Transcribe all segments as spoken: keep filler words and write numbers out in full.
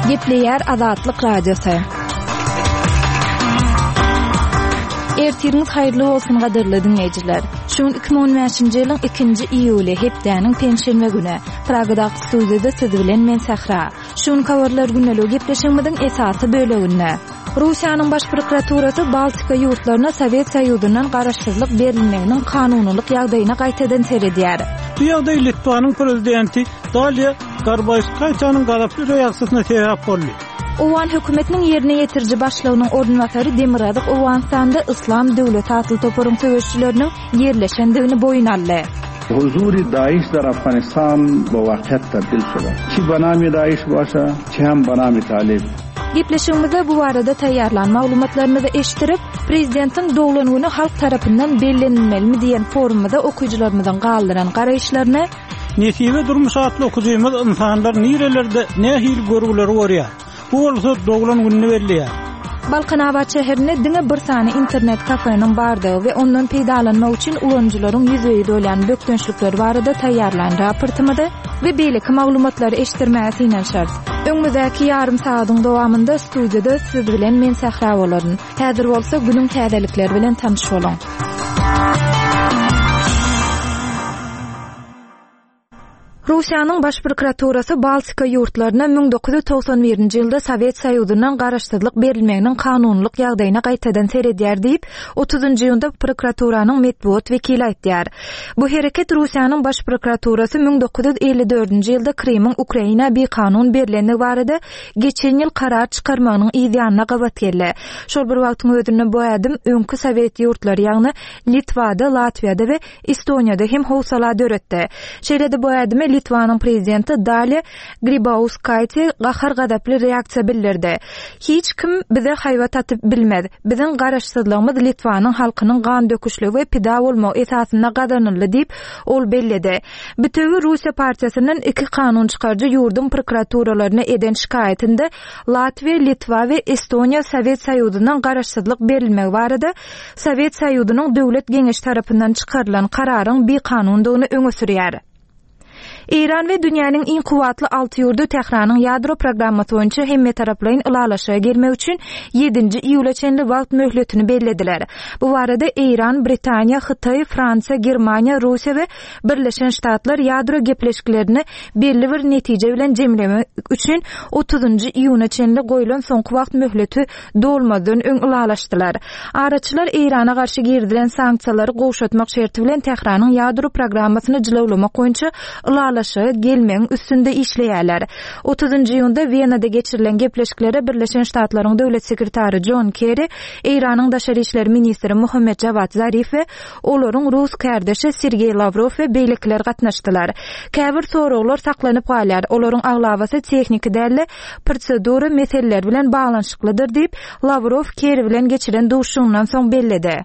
Gepleýär Azatlyk Radiosy. Ertiriňiz haýyrly bolsun gadyrly diňleýjiler. Şu gün iki müň on bäşinji ýylyň ikinji iýuly hepdäniň penşenbe güni. Pragadaky studiýada siz bilen men Sähra. Şu gün habarlar gündeligi gepleşigimiziň esasy böleginde Russiýanyň baş prokuraturasy Baltika ýurtlaryna Sowet Soýuzyndan garaşsyzlyk berilmeginiň kanunylyk ýagdaýyna gaýtadan seredýär. Bu ýagdaý Litwanyň prezidenti Daliýa Grybauskaiteniň gazaply reaksiýasyna sebäp boldy. Owgan hökümetiniň ýerine ýetiriji başlygynyň orunbasary Demirgazyk Owganystanda Yslam döwleti atly toparyň söweşçileriniň ýerleşendigini boýun aldy. Huzuri Daesh dar Afganistan bu waqyat tabdil şolar. Çi banami Daesh başa, çi hem banami Talib. Gepleşigimizde bu barada taýýarlan maglumatlarymyzy eşitdirip, prezidentiň doglan güni halk tarapyndan bellenilmelimi diýen forumda okyjylarymyzyň galdyran garaýyşlaryny Nesibe durmuş atly okyjymyz insanlar nirelerde nähili görgüleri görýär. Bu bolsa doglan gününi belleýär. Balkanabat şäherinde diňe bir sany internet kafeniň bardygy we ondan peýdalanmak üçin ulanyjylaryň ýüzbe-ýüz bolýan bökdençlikleri barada taýýarlan raportymyzy we beýleki maglumatlary eşitdirmäge synanyşarys. Öňümizdäki ýarym sagatyň dowamynda studiýada siz bilen men Sähra bolaryn. Häzir bolsa günüň täzelikleri bilen tanyş boluň. Russiýanyň baş prokuraturasy Baltika ýurtlaryna müň dokuz ýüz togsan birinji ýylda Sowet Soýuzyndan garaşsyzlyk berilmeginiň kanunylyk ýagdaýyna gaýtadan seredýär diýip, otuzynjy iýunda prokuraturanyň metbugat wekili aýtýar. Bu hereket Russiýanyň baş prokuraturasy müň dokuz ýüz elli dördünji ýylda Krymyň Ukraina bikanun berilendigi barada geçen ýyl karar çykarmagynyň yz ýanyna gabat geldi. Şol bir wagtyň özünde bu ädim öňki Sowet ýurtlary, ýagny Litwada, Latwiýada we Estoniýada hem howsala döretdi. Şeýle-de bu ädime Litwanyň prezidenti Daliýa Grybauskaite gahar-gazaply reaksiýa bildirdi. Hiç kim bize haýbat atyp bilmez. Biziň garaşsyzlygymyz Litwanyň halkynyň gan döküşligi we pida bolmagy esasynda gazanyldy diýip, ol belledi. Bütewi Russiýa partiýasyndan iki kanun çykaryjy ýurduň prokuraturalaryna eden şikaýatynda Latwiýa, Litwa we Estoniýa Sowet Soýuzyndan garaşsyzlyk berilmegi barada Sowet Soýuzynyň döwlet geňeşi tarapyndan çykarylan kararyň bikanundygyny öňe sürýär. Eýran we dünýäniň iň kuwwatly alty ýurdy Tähranyň ýadro programmasy boýunça hemme taraplaýyn ylalaşyga gelmek üçin ýedinji iýula çenli wagt möhletini bellediler. Bu barada Eýran, Britaniýa, Hytaý, Fransiýa, Germaniýa, Russiýa we Birleşen Ştatlar ýadro gepleşiklerini belli bir netije bilen jemlemek üçin otuzynjy iýuna çenli goýlan soňky wagt möhleti dolmazdan öň ylalaşdylar. Araçylar Eýrana garşy girizilen sanksiýalary gowşatmak şerti bilen Tähranyň ýadro programmasyny jylawlamak boýunça ylalaşyga gelmegiň üstünde işleýärler. Otuzynjy iýunda Wenada geçirilen gepleşiklere Birleşen Ştatlaryň döwlet sekretary John Kerry, Eýranyň daşary işler ministri Muhammed Javad Zarif we olaryň rus kardeşi Sergey Lavrov we beýlekiler gatnaşdylar. Käbir soraglar saklanyp galýar. Olaryň aglabasy tehniki däl-de prosedura meseleleri bilen baglanyşyklydyr diýip, Lavrov Kerry bilen geçiren duşuşygyndan soň belledi.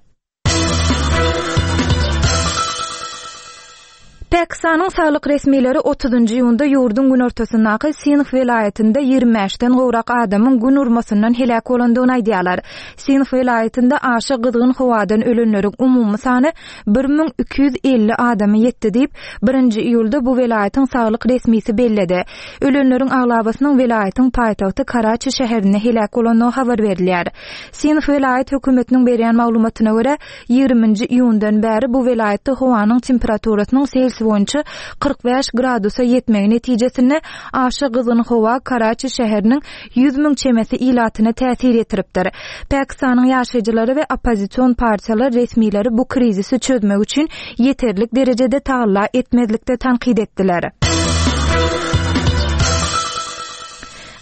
Pakistanyň saglyk resmileri otuzynjy iýunda ýurduň günortasyndaky Sindh welaýatynda ýigrimi bäşden gowrak adamyň gün urmasyndan heläk bolandygyny aýdýarlar. Sindh welaýatynda aşa gyzgyn howadan ölenleriň umumy sany bir müň iki ýüz elli adamy ýetdi diýip, birinji iýulda bu welaýatyň saglyk resmisi belledi. Ölenleriň aglabasynyň welaýatyň paýtagty Karaçi şäherinde heläk bolandygy habar berilýär. Sindh welaýat hökümetiniň berýän maglumatyna görä, ýigriminji iýundan bäri bu welaýatda howanyň temperaturasynyň Selsiýa boýunça kyrk bäş gradusa ýetmegi netijesinde aşa gyzgyn howa Karaçi şäheriniň ýüz müň çemesi ilatyna täsir ýetiripdir. Pakistanyň ýaşaýjylary we oppozision partiýalar resmileri bu krizisi çözmek üçin ýeterlik derejede tagalla etmezlikde tanqid etdiler.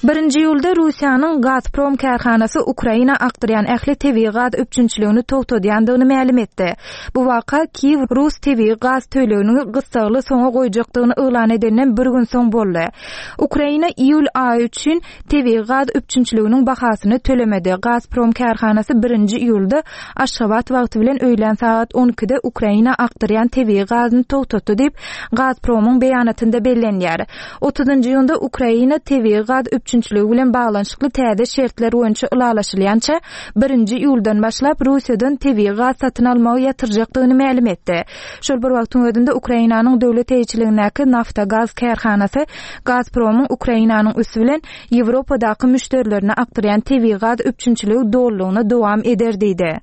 Birinji iýulda Russiýanyň Gazprom kärhanasy Ukraina akdyrýan ähli tebigy gaz üpjünçiligini togtadýandygyny mälim etdi. Bu waka Kiýew Rus tebigy gaz tölegini gyssagly soňa goýjakdygyny yglan edenden bir gün soň boldy. Ukraina iýul aýy üçin tebigy gaz üpjünçiliginiň bahasyny tölemedi. Gazprom kärhanasy birinji iýulda Aşgabat wagty bilen öýlän sagat on ikide Ukraina akdyrýan tebigy gazyny togtatdy diýip, Gazpromyň beýanatynda bellenýär. Otuzynjy iýunda Ukraina tebigy gaz üpjünçiligini üpjünçiligi bilen baglanyşykly täze şertler boýunça ylalaşylýança birinji iýuldan başlap Russiýadan tebigy gaz satyn almagy ýatyrjakdygyny mälim etdi. Şol bir wagtyň özünde Ukrainanyň döwlet eýeçiligindäki Naftogaz kärhanasy Gazpromyň Ukrainanyň üsti bilen Ýewropadaky müşderilerine akdyrýan tebigy gaz üpjünçiligi dolulygyna dowam eder diýdi.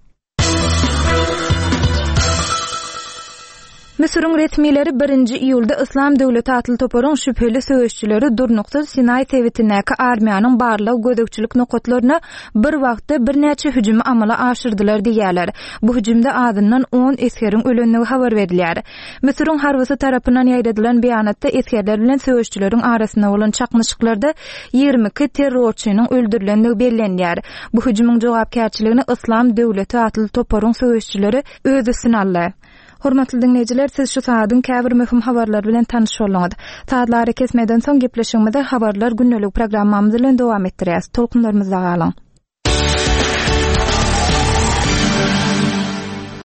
Müsüriň resmileri birinji iýulda Yslam döwleti atly toparyň şübheli söweşçileri durnuksyz Sinaý sebitindäki armiýanyň barlag gözegçilik nokatlaryna bir wagtda birnäçe hüjümi amala aşyrdylar diýýärler. Bu hüjümde azyndan on esgeriň ölendigi habar berilýär. Müsüriň harbysy tarapyndan ýaýradylan beýanatda esgerler bilen söweşçileriň arasynda bolan çaknyşyklarda ýigrimi iki terrorçynyň öldürilendigi bellenýär. Bu hüjümiň jogapkärçiligini Yslam döwleti atly toparyň söweşçileri öz üstüne aldy. Hormatly dinleýjiler, siz şu saadyň käbir möhüm habarlar bilen tanyş bolduňyz. Saatlary kesmeden soň gepleşigimizi habarlar gündelik programmamyz bilen dowam etdirýäs. Tolkunlarymyzda galyň.